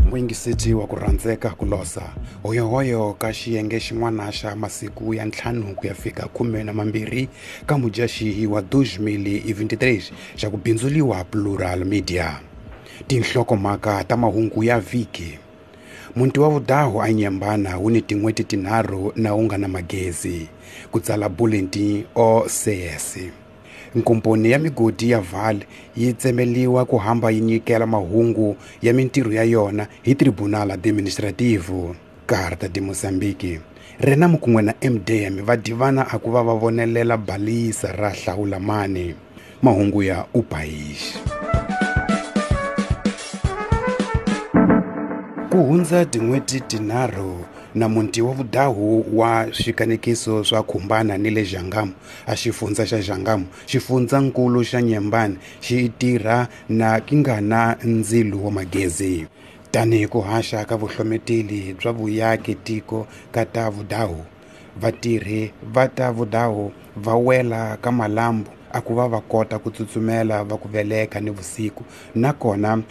Muyingiseti wa ku rhandzeka ku losa hoyohoyo ka xiyenge xin'wana xa masiku ya 5 ku ya fika 12 ka Mudyaxihi wa 2023 xa ku bindzuliwa Plural Media. Tinhlokomhaka ta mahungu ya vhiki. Muti wa vudahu a Nyembana wu ni tin'hweti tinharhu na wu nga na magezi, ku tsala Bulletin OCS. Nkomponi ya migodi ya Vale yi tsemeliwa ku hamba yi nyikela mahungu ya mintirho ya yona hi Tribunal Administrativo, Carta de Moçambique. Renamo kun'we na MDM va divana a ku va va vonelela balisa ra Hlawulamani. Mahungu ya O País. Ku hundza tin'hweti tinharhu na muti wa vudahu wa swikanekiso swa khumbana ni le Jangamo a xifundza xa Jangamo, xifundzankulu xa Nyembani xi tirha na ki nga na ndzilo wa magezi. Tanihi ku haxa ka vuhlometeli bya vuyaki tiko ka ta vudahu, vatirhi va ta vudahu va wela ka malambu a ku va va kota ku tsutsumela va ku veleka ni vusiku, nakona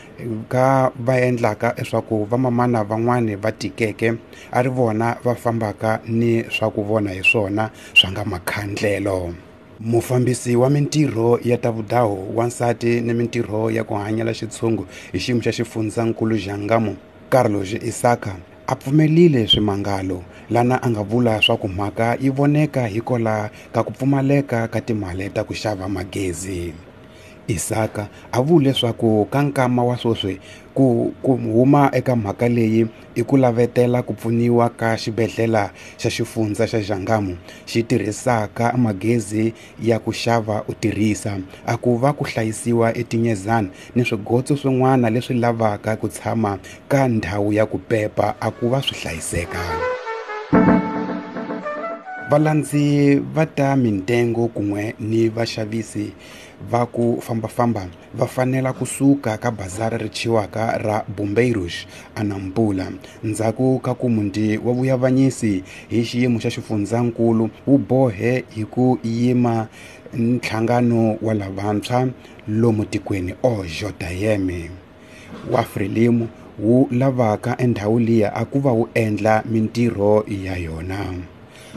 ka va endlaka leswaku vamamana van'wani va tikeke a ri vona va fambaka ni swa ku vona hi swona swa nga makhandlelo. Mufambisi wa mintirho ya ta vudahu wansati ni mintirho ya ku hanyela xitshungu hi xiyimo xa xifundzankulu Jangamo, Carlos Isaka, a pfumelile swimangalo lana a nga vula swa ku mhaka yi voneka hikola ka ku pfumaleka ka timali ta ku xava magezi. Isaka a vule leswaku ka nkama wa sweswi ku huma eka mhaka leyi i ku lavetela ku pfuniwa ka xibedhlele xa xifundza xa Jangamo xi tirhisaka magezi ya ku xava u tirhisa, a ku va ku hlayisiwa etinyezana ni swigotso swin'wana leswi lavaka ku tshama ka ndhawu ya ku pepa a ku va swi hlayiseka. Valandzi va ta mintengo kun'we ni vaxavisi va ku fambafamba va fanela kusuka ka bazari ri thyiwaka ra Bombeiros a Nampula ndzhaku ka ku muti wa vuyavanyisi hi xiyimo xa xifundzankulu wu bohe hi ku yima nhlangano wa lavantshwa lomu tikweni OJM wa Frelimo wu lavaka endhawu liya a ku va wu endla mintirho ya yona.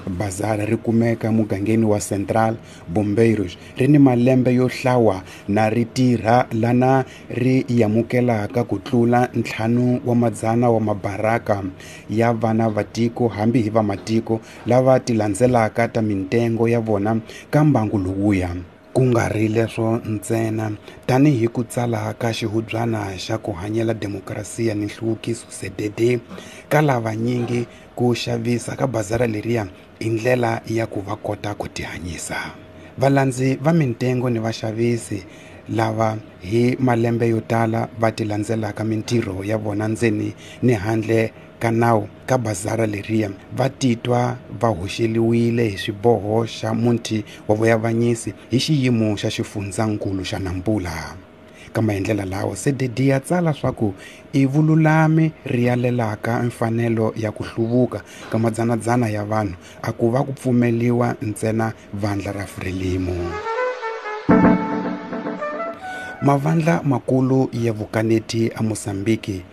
Bazari ri kumeka mugangeni wa Central Bombeiros ri ni malembe yo hlawa na ri tirha lana ri yamukelaka ku tlula 500 wa mabaraka ya vana va tiko hambi hi vamatiko lava ti landzelaka ta mintengo ya vona ka mbangu lowuya. Ku nga ri leswo ntsena, tanihi ku tsala ka xihubyana xa ku hanyela demokrasiya ni nhluvukiso CDD, ka lavanyingi ku xavisa ka bazara leriya i ndlela ya ku va kota ku tihanyisa. Valandzi va mintengo ni vaxavisi lava hi malembe yo tala va ti landzelaka mintirho ya vona ndzeni ni handle ka nawu ka bazara leriya va titwa va hoxeliwile hi xiboho xa muti wa vuyavanyisi hi xiyimo xa xifundzankulu xa Nampula. Ka maendlela lawa, CDD ya tsala swa ku i vululami ri yalelaka mfanelo ya ku hluvuka ka madzanadzana ya vanhu a ku va ku pfumeliwa ntsena vandla ra Frelimo. Mavandla makulu ya vukaneti a Mozambique,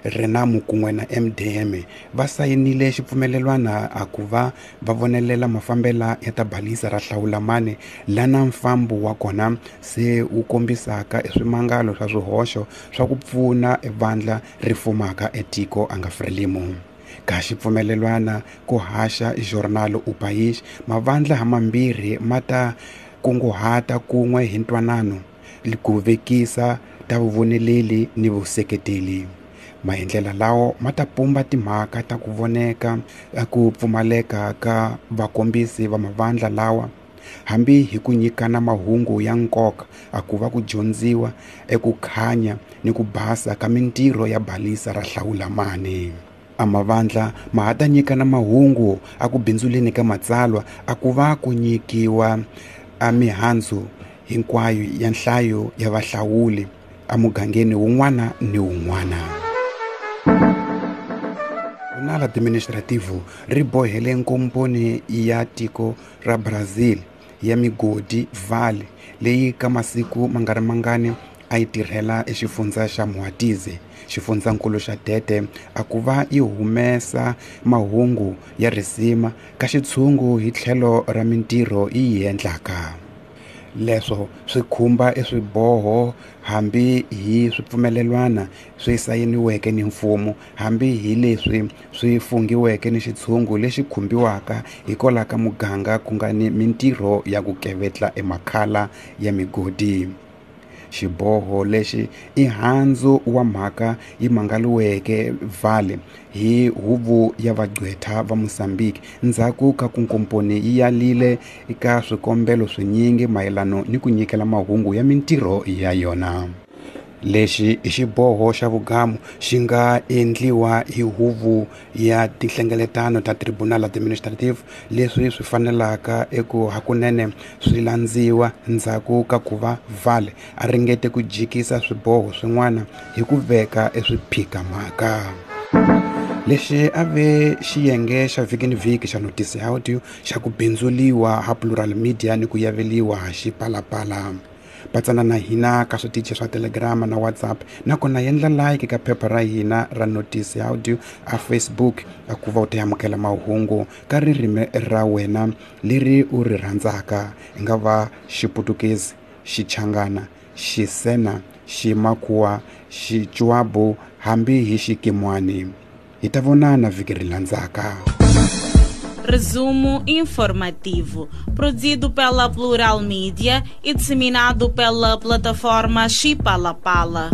Renamo kun'we na MDM va sayinile xipfumelelwana a ku va va vonelela mafambela ya ta balisa ra Hlawulamani lana mfambo wa kona se wu kombisaka eswimangalo swa swihoxo swa ku pfuna vandla ri fumaka etiko a nga Frelimo. Ka xipfumelelwana ku haxa Jornal O País, mavandla hamambirhi ma ta kunguhata kun'we hi ntwanano ku vekisa ta vuvoneleli ni vuseketeli. Maendlela lawo ma ta pumba timhaka ta ku voneka ku pfumaleka ka vakombisi va mavandla lawa hambi hi ku nyikana mahungu ya nkoka a ku va ku dyondziwa eku khanya ni ku basa ka mintirho ya balisa ra Hlawulamani. A mavandla ma ha ta nyikana mahungu a ku bindzuleni ka matsalwa a ku va ku nyikiwa a mihandzu hinkwayo ya nhlayo ya vahlawuli emugangeni wun'wana ni wun'wana. Tribunal Administrativo ri bohele nkomponi ya tiko ra Brazil ya migodi Vale leyi ka masiku ma nga ri mangani a yi tirhela exifundza xa Moatize, xifundzankulu xa Tete, a ku va yi humesa mahungu ya risima ka xitshungu hi tlhelo ra mintirho yi yi endlaka. Leswo swi khumba eswiboho hambi hi swipfumelelwana swi sayiniweke ni mfumo, hambi hi leswi swi fungiweke ni xitshungu lexi khumbiwaka hikwalaho ka muganga ku nga ni mintirho ya ku kevetla emakhala ya migodi. Xiboho lexi i handzu wa mhaka yi mangaliweke Vale hi huvo ya vagqwetha va Mozambique ndzhaku ka ku nkomponi yi yalile eka swikombelo swinyingi mayelano ni ku nyikela mahungu ya mintirho ya yona. Lexi i xiboho xa vugamu xi nga endliwa hi huvo ya tinhlengeletano ta Tribunal Administrative, leswi swi fanelaka eku hakunene swi landziwa ndzhaku ka ku va Vale a ringete ku jikisa swiboho swin'wana hi ku veka eswiphikamhaka. Lexi a ve xiyenge xa vhiki ni vhiki xa Notice Audio xa ku bindzuliwa ha Plural Media ni ku yaveliwa ha Xipalapala. Patsana na hina ka switichi swa Telegram na WhatsApp, nakona endla like ka phepha ra hina ra Notice Audio a Facebook a ku va u ta amukela mahungu ka ririmi ra wena leri u ri rhandzaka, i nga va Xiputukezi, Xichangana, Xisena, Ximakhuwa, Xichuabu hambi hi Xikimwani. Hi ta vonana vhiki ri landzaka. Resumo informativo, produzido pela Plural Mídia e disseminado pela plataforma Chipalapala.